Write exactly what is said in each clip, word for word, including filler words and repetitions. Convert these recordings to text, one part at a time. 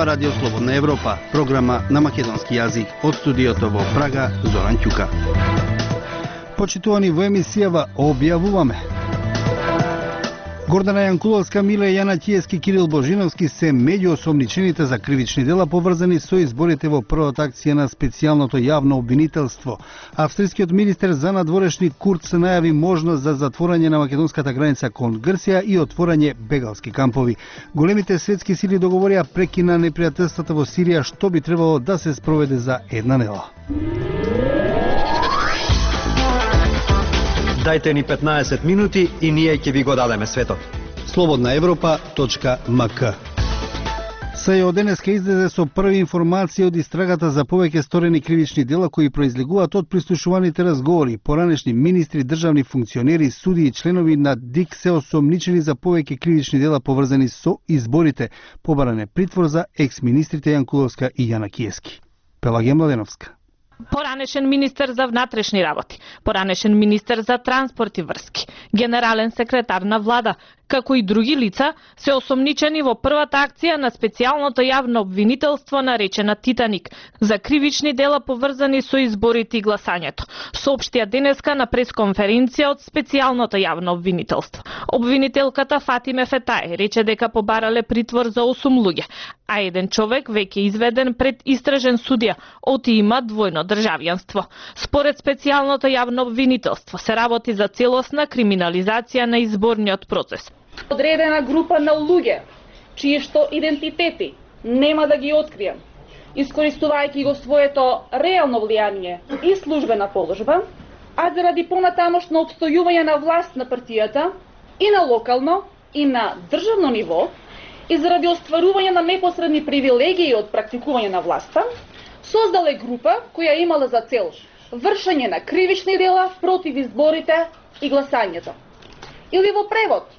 Ова радио Слободна Европа, програма на македонски јазик. Од студиото во Прага, Зоран Ќука. Почитувани, во емисијава објавуваме: Гордана Јанкуловска, Миле Јанакиевски, Кирил Божиновски се меѓу осомничените за кривични дела поврзани со изборите во првата акција на специјалното јавно обвинителство. Австрискиот министер за надворешни Курц најави можност за затворање на македонската граница кон Грција и отворање бегалски кампови. Големите светски сили договорија прекина непријателствата во Сирија, што би требало да се спроведе за една недела. Дајте ни петнаесет минути и ние ќе ви го дадеме светот. слободна европа точка ем ка. СЈО денеска излезе со први информации од истрагата за повеќе сторени кривични дела кои произлегуваат од прислушуваните разговори. Поранешни министри, државни функционери, суди и членови на ДИК се осомничени за повеќе кривични дела поврзани со изборите. Побаран е притвор за екс-министрите Јанкуловска и Јанакиевски. Пелагија Младеновска. Поранешен министер за внатрешни работи, поранешен министер за транспорт и врски, генерален секретар на влада, како и други лица, се осомничени во првата акција на специјалното јавно обвинителство наречена Титаник за кривични дела поврзани со изборите и гласањето, соопштија денеска на пресконференција од специјалното јавно обвинителство. Обвинителката Фатиме Фетај рече дека побарале притвор за осум луѓе, а еден човек веќе изведен пред истражен судија, оти има двојно државјанство. Според специјалното јавно обвинителство се работи за целосна криминализација на изборниот процес. Одредена група на луѓе, чии што идентитети нема да ги открием, искористувајќи го своето реално влијание и службена положба, а заради понатамошно обстојување на власт на партијата и на локално и на државно ниво и заради остварување на непосредни привилегии од практикување на власта, создале група која имала за цел вршење на кривични дела против изборите и гласањето. Или во превод,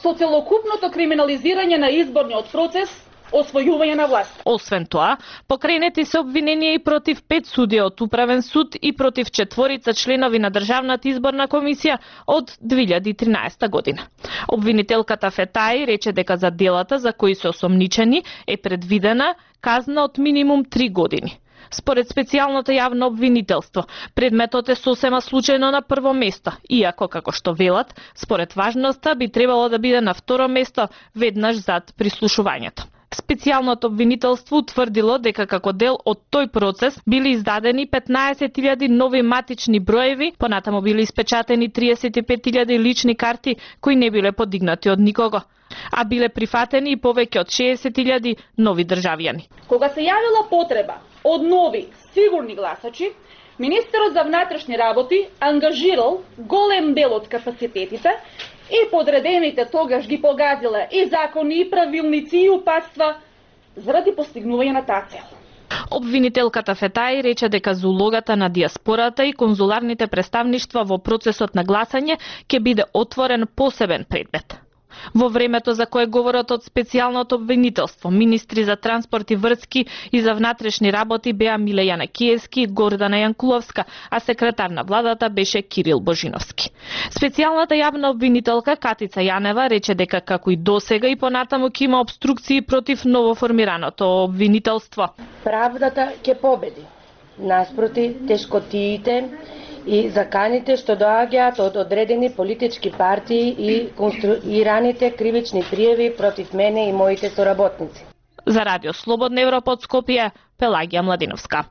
со целокупното криминализирање на изборниот процес, освојување на власт. Освен тоа, покренети се обвиненија и против пет судија од Управен суд и против четворица членови на Државната изборна комисија од две илјади и тринаесета година. Обвинителката Фетај рече дека за делата за кои се осомничени е предвидена казна од минимум три години. Според специјалното јавно обвинителство, предметот е сосема случајно на прво место, иако, како што велат, според важноста би требало да биде на второ место веднаш зад прислушувањето. Специјалното обвинителство утврдило дека како дел од тој процес били издадени петнаесет илјади нови матични броеви, понатаму били испечатени триесет и пет илјади лични карти кои не биле подигнати од никого, а биле прифатени и повеќе од шеесет илјади нови државјани. Кога се јавила потреба од нови сигурни гласачи, министерот за внатрешни работи ангажирал голем дел од капацитетите и подредените тогаш ги погазила и закони, и правилници, и упатства заради постигнување на таа цел. Обвинителката Фетај рече дека за улогата на диаспората и конзуларните представништва во процесот на гласање ќе биде отворен посебен предмет. Во времето за кое говорат од специјалното обвинителство, министри за транспорт и врски и за внатрешни работи беа Миле Јанакиевски и Гордана Јанкуловска, а секретар на владата беше Кирил Божиновски. Специјалната јавна обвинителка Катица Јанева рече дека како и досега и понатаму ќе има обструкции против новоформираното обвинителство. Правдата ќе победи, наспроти тешкотиите и заканите што доаѓаат од одредени политички партии и конструираните кривични пријави против мене и моите соработници. За Радио Слободна Европа од Скопје, Пелагија Младеновска.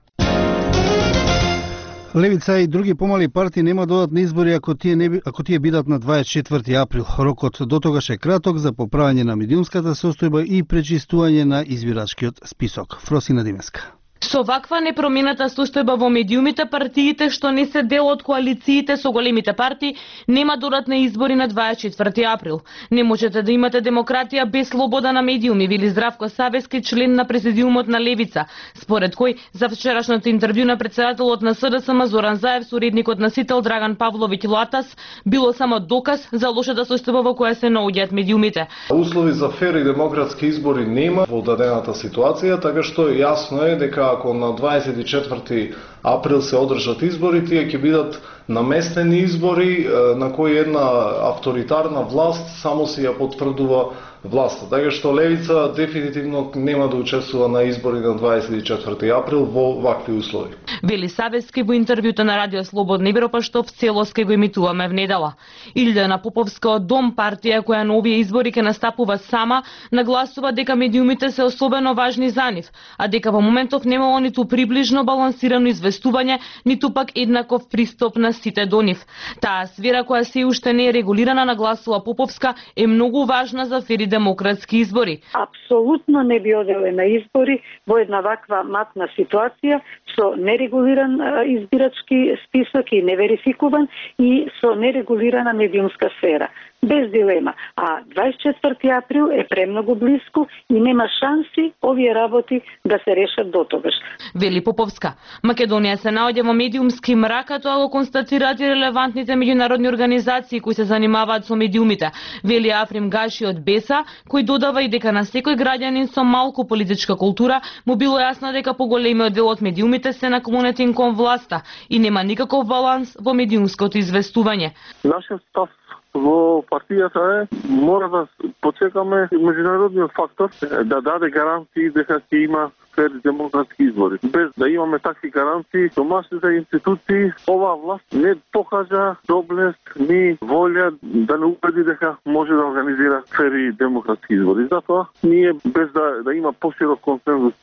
Левица и други помали партии нема додат на избори ако тие не ако тие бидат на дваесет и четврти април. Рокот до тогаш е краток за поправање на медиумската состојба и пречистување на избирачкиот список. Фросина Димеска. Со ваква непромената состојба во медиумите, партиите што не се дел од коалициите со големите партии нема додат на избори на дваесет и четврти април. Не можете да имате демократија без слобода на медиуми, вели Здравко Савески, член на президиумот на Левица, според кој за вчерашното интервју на председателот на СДСМ Зоран Заев со уредникот на Сител Драган Павловиќ Латас било само доказ за лошата состојба во која се наоѓаат медиумите. Услови за фер и демократски избори нема во дадената ситуација, така што јасно е дека ако на дваесет и четврти април се одржат избори, тие ќе бидат наместени избори на кои една авторитарна власт само си ја потврдува власта. Така што левица дефинитивно нема да учествува на избори на дваесет и четврти април во вакви услови. Вели Савески во интервјуто на Радио Слободна Европа, што в целост ќе го емитуваме внедела. Илјана Поповска од Дом, партија која на овие избори ќе настапува сама, нагласува дека медиумите се особено важни за нив, а дека во моментов немало ниту приближно балансирано известување, ниту пак еднаков пристап на сите до нив. Таа сфера која се уште не е регулирана, нагласува Поповска, е многу важна за фери демократски избори. Апсолутно не би оделе на избори во една ваква матна ситуација со нерегулиран избирачки список и неверификуван и со нерегулирана медиумска сфера. Без дилема. А дваесет и четврти април е премногу блиску и нема шанси овие работи да се решат дотогаш. Вели Поповска, Македонија се наоѓа во медиумски мрак, а тоа го констатираат и релевантните меѓународни организации кои се занимаваат со медиумите. Вели Африм Гаши од Беса, кој додава и дека на секој граѓанин со малку политичка култура му било јасно дека поголемиот дел од медиумите се наклонети кон власта и нема никаков баланс во медиумското известување. Нашиот став во партијата е, мора да почекаме меѓународниот фактор да даде гаранции дека ќе има фер демократски избори. Без да имаме такви гаранции, домашните институции, оваа власт не покажа доблест ни волја да не убеди дека може да организира фери демократски избори. Затоа ние без да, да има поширок консензус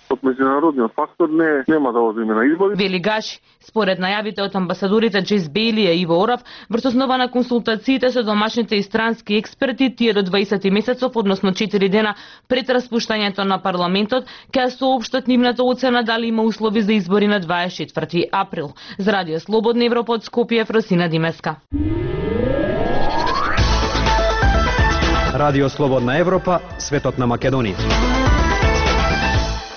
од меѓународниот фактор не нема да одиме на избори. Вели Гаши, според најавите од амбасадорите Джейс Бейли и Иво Орав, врз основа на консултациите со домашните и странски експерти, тие до дваесет месецов, односно четири дена пред распуштањето на парламентот, ќе соопштат нивната оцена дали има услови за избори на дваесет и четврти април. За Радио Слободна Европа од Скопје, Фросина Димеска. Радио Слободна Европа, светот на Македонија.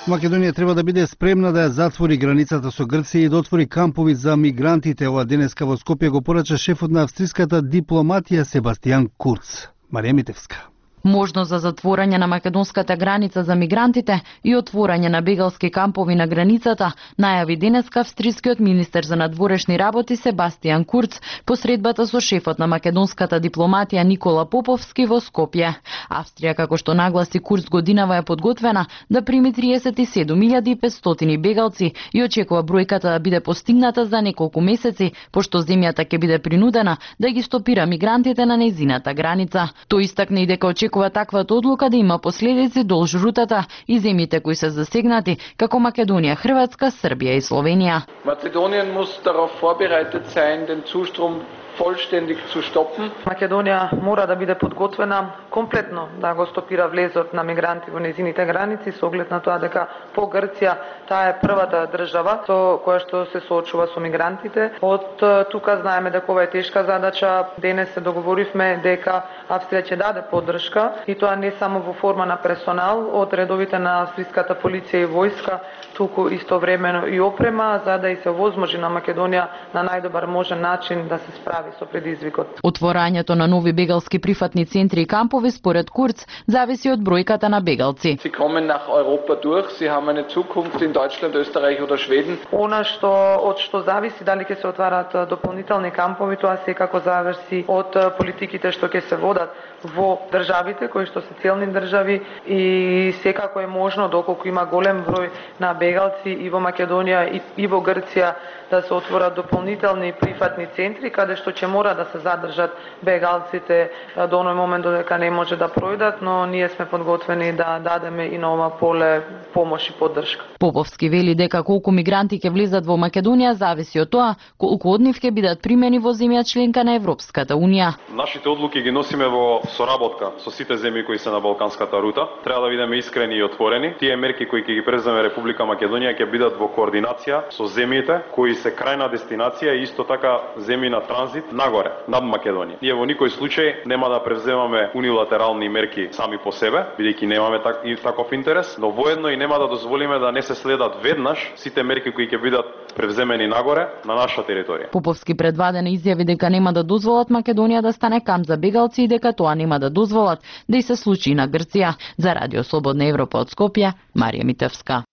Македонија треба да биде спремна да ја затвори границата со Грција и да отвори кампови за мигрантите. Ова денеска во Скопје го порача шефот на австриската дипломатија Себастијан Курц. Марија Митевска. Можност за затворање на македонската граница за мигрантите и отворање на бегалски кампови на границата најави денеска австрискиот министер за надворешни работи Себастијан Курц посредбата со шефот на македонската дипломатија Никола Поповски во Скопје. Австрија, како што нагласи Курц, годинава е подготвена да прими триесет и седум илјади и петстотини бегалци и очекува бројката да биде постигната за неколку месеци, пошто земјата ќе биде принудена да ги стопира мигрантите на нејзината граница. Тој истакна и дека очекува таквата одлука да има последици долж рутата и земјите кои се засегнати, како Македонија, Хрватска, Србија и Словенија. Македонија muss darauf vorbereitet sein, den Zustrom vollständig zu stoppen. Македонија мора да биде подготвена комплетно да го стопира влезот на мигранти во незините граници со оглед на тоа дека по Грција таа е првата држава со која што се соочува со мигрантите. Од тука знаеме дека ова е тешка задача. Денес се договоривме дека Австрија ќе даде поддршка и тоа не само во форма на персонал од редовите на австриската полиција и војска, туку истовремено и опрема за да и се возможи на Македонија на најдобар можен начин да се справи со предизвикот. Отворањето на нови бегалски прифатни центри и кампови според Курц зависи од бројката на бегалци. Sie kommen nach Europa durch, sie haben eine Zukunft in Deutschland, Österreich oder Schweden. Она што од што зависи дали ќе се отварат дополнителни кампови, тоа секако зависи од политиките што ќе се водат во државите кои што се целни држави и секако е можно доколку има голем број на бегалци и во Македонија и, и во Грција да се отворат дополнителни прифатни центри каде што ќе мора да се задржат бегалците до оној момент додека не може да пројдат, но ние сме подготвени да дадеме и на ова поле помош и поддршка. Поповски вели дека колку мигранти ќе влезат во Македонија зависи од тоа колку од нив ќе бидат примени во земја членка на Европската унија. Нашите одлуки ги носиме во соработка со сите земји кои се на балканската рута. Треба да бидеме искрени и отворени. Тие мерки кои ќе ги преземе Република Македонија ќе бидат во координација со земјите кои се крајна дестинација и исто така земји на транзит нагоре, над Македонија. Ние во никој случај нема да превземаме унилатерални мерки сами по себе, бидејќи немаме так, и таков интерес, но воедно и нема да дозволиме да не се следат веднаш сите мерки кои ќе бидат превземени нагоре на наша територија. Поповски предвадено изјави дека нема да дозволат Македонија да стане камп за бегалци и дека тоа нема да дозволат да и се случи на Грција. За Радио Слободна Европа од Скопје, Марија Митевска.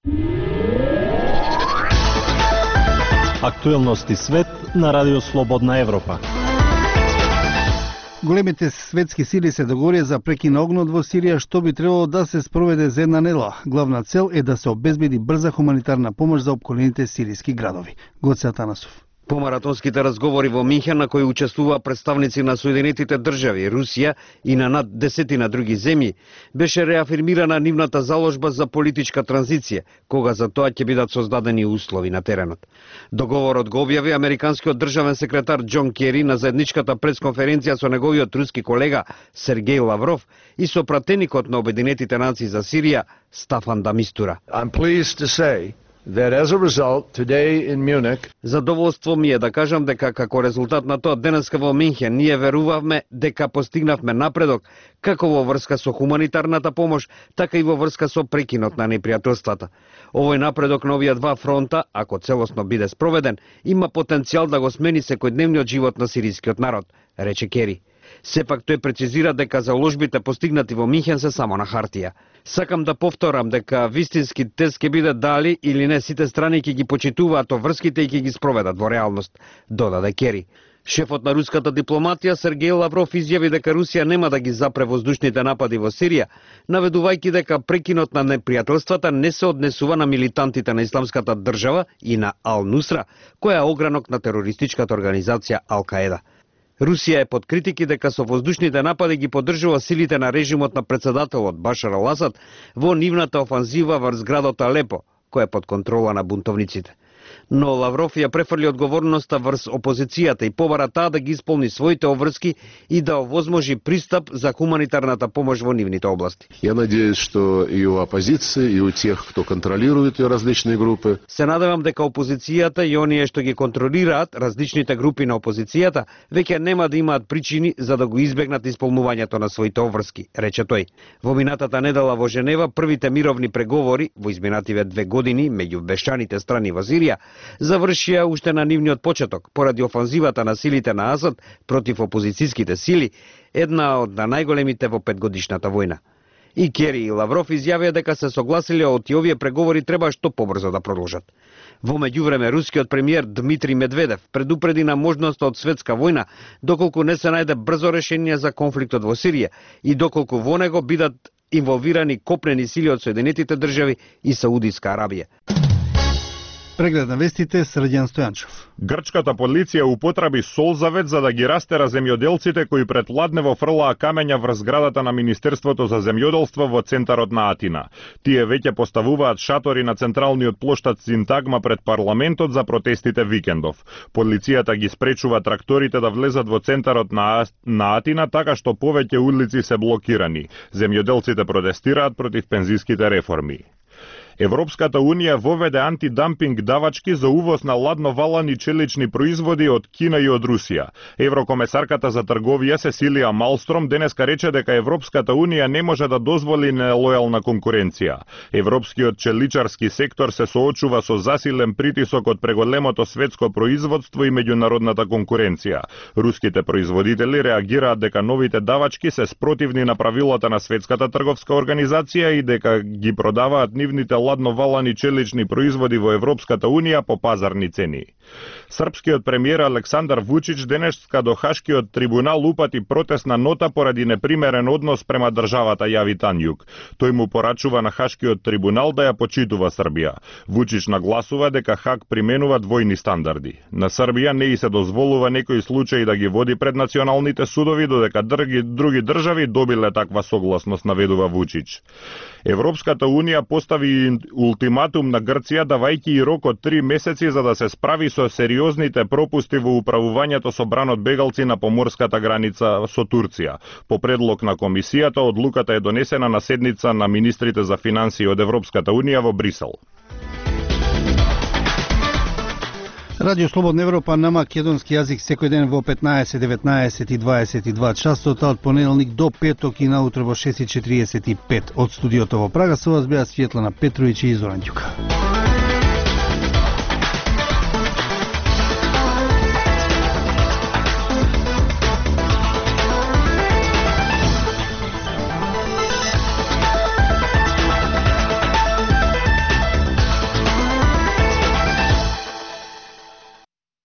Актуелности свет на Радио Слободна Европа. Големите светски сили се договорија за прекин на огнот во Сирија, што би требало да се спроведе за една недела. Главна цел е да се обезбеди брза хуманитарна помош за опколените сиријски градови. Гоце Атанасов. Помаратонските разговори во Минхен, на кои учествуваа представници на Соединетите држави, Русија и на над десетина други земји, беше реафирмирана нивната заложба за политичка транзиција, кога за тоа ќе бидат создадени услови на теренот. Договорот го објави американскиот државен секретар Џон Кери на заедничката пресконференција со неговиот руски колега Сергеј Лавров и со пратеникот на Обединетите нации за Сирија Стафан де Мистура. I'm pleased to say that as a result, today in Munich, задоволство ми е да кажам дека како резултат на тоа денеска во Минхен ние верувавме дека постигнавме напредок како во врска со хуманитарната помош, така и во врска со прекинот на непријателствата. Овој напредок на овие два фронта, ако целосно биде спроведен, има потенцијал да го смени секојдневниот живот на сирискиот народ, рече Кери. Сепак тој прецизира дека заложбите постигнати во Минхен се само на хартија. Сакам да повторам дека вистински тест ќе биде дали или не сите страни ќе ги почитуваат врските и ќе ги спроведат во реалност, додаде Кери. Шефот на руската дипломатија Сергеј Лавров изјави дека Русија нема да ги запре воздушните напади во Сирија, наведувајќи дека прекинот на непријателствата не се однесува на милитантите на Исламската држава и на Ал-Нусра, која е огранок на терористичката организација Ал-Каеда. Русија е под критики дека со воздушните напади ги поддржува силите на режимот на председателот Башар Ал-Асад во нивната офанзива врз градот Алепо, кој е под контрола на бунтовниците. Но Лавров ја префрли одговорноста врз опозицијата и побара таа да ги исполни своите обврски и да овозможи пристап за хуманитарната помош во нивните области. Я надеюсь, что и у оппозиции, и у тех, кто контролирует ее различные группы. Се надевам дека опозицијата и оние што ги контролираат различните групи на опозицијата веќе нема да имаат причини за да го избегнат исполнувањето на своите обврски, рече тој. Во минатата недела во Женева првите мировни преговори во изминативе две години меѓу бешчаните страни во Сирија завршија уште на нивниот почеток поради офанзивата на силите на Асад против опозицијските сили, една од најголемите во петгодишната војна. И Кери и Лавров изјавија дека се согласиле од овие преговори треба што побрзо да продолжат. Во меѓувреме рускиот премиер Дмитрий Медведев предупреди на можноста од светска војна доколку не се најде брзо решение за конфликтот во Сирија и доколку во него бидат инволвирани копнени сили од Соединетите држави и Саудиска Арабија. Преглед на вестите Срđan Стојанчев. Грчката полиција употреби солзавет за да ги растера земјоделците кои пред ладнево фрлаа камења врз зградата на Министерството за земјоделство во центарот на Атина. Тие веќе поставуваат шатори на централниот плоштад Синтагма пред парламентот за протестите викендов. Полицијата ги спречува тракторите да влезат во центарот на, на Атина, така што повеќе улици се блокирани. Земјоделците протестираат против пензиските реформи. Европската Унија воведе антидампинг давачки за увоз на ладновалани челични производи од Кина и од Русија. Еврокомесарката за трговија Сесилија Малстром денеска рече дека Европската Унија не може да дозволи нелојална конкуренција. Европскиот челичарски сектор се соочува со засилен притисок од преголемото светско производство и меѓународната конкуренција. Руските производители реагираат дека новите давачки се спротивни на правилата на Светската трговска организација и дека ги продаваат нивните ладновалани челични производи во Европската Унија по пазарни цени. Српскиот премиер Александар Вучич денеска до Хашкиот трибунал упати протестна нота поради непримерен однос према државата Јави Танјук. Тој му порачува на Хашкиот трибунал да ја почитува Србија. Вучич нагласува дека Хаг применува двојни стандарди. На Србија не и се дозволува некои случаи да ги води пред националните судови, додека други, други држави добиле таква согласност, наведува Вучич. Европската Унија постави ултиматум на Грција давајќи и рок од три месеци за да се справи со сериозните пропусти во управувањето со бранот бегалци на поморската граница со Турција. По предлог на комисијата, одлуката е донесена на седница на министрите за финансии од Европската Унија во Брисел. Радио Слободна Европа на македонски јазик секој ден во петнаесет, деветнаесет и дваесет и два часота од понеделник до петок и наутро во шест и четириесет и пет. Од студиото во Прага со вас беа Светлана Петровиќ и Зоран Ѓука.